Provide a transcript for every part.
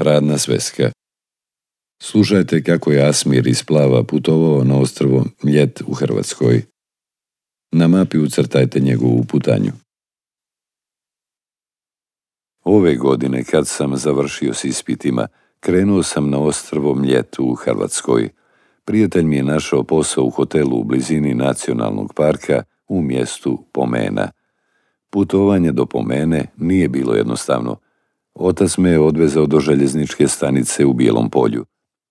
Radna sveska. Slušajte kako je Asmir iz Plava putovao na ostrvo Mljet u Hrvatskoj. Na mapi ucrtajte njegovu putanju. Ove godine, kad sam završio s ispitima, krenuo sam na ostrvo Mljet u Hrvatskoj. Prijatelj mi je našao posao u hotelu u blizini nacionalnog parka u mjestu Pomena. Putovanje do Pomene nije bilo jednostavno. Otac me je odvezao do željezničke stanice u Bijelom Polju.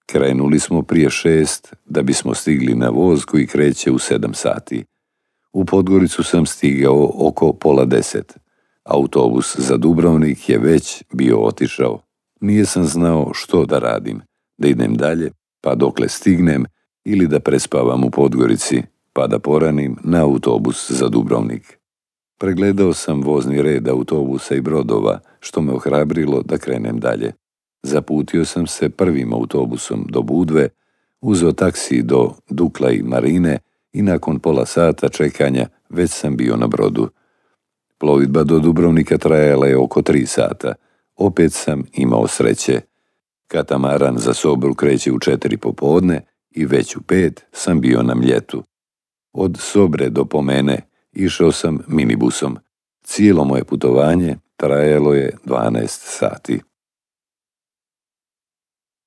Krenuli smo prije 6 da bismo stigli na voz koji kreće u 7 sati. U Podgoricu sam stigao oko pola 10. Autobus za Dubrovnik je već bio otišao. Nije sam znao što da radim, da idem dalje, pa dokle stignem, ili da prespavam u Podgorici, pa da poranim na autobus za Dubrovnik. Pregledao sam vozni red autobusa i brodova, što me ohrabrilo da krenem dalje. Zaputio sam se prvim autobusom do Budve, uzeo taksi do Dukla i Marine i nakon pola sata čekanja već sam bio na brodu. Plovidba do Dubrovnika trajala je oko 3 sata. Opet sam imao sreće. Katamaran za Sobru kreće u 4 popodne i već u 5 sam bio na Mljetu. Od Sobre do Pomene išao sam minibusom. Cijelo moje putovanje trajalo je 12 sati.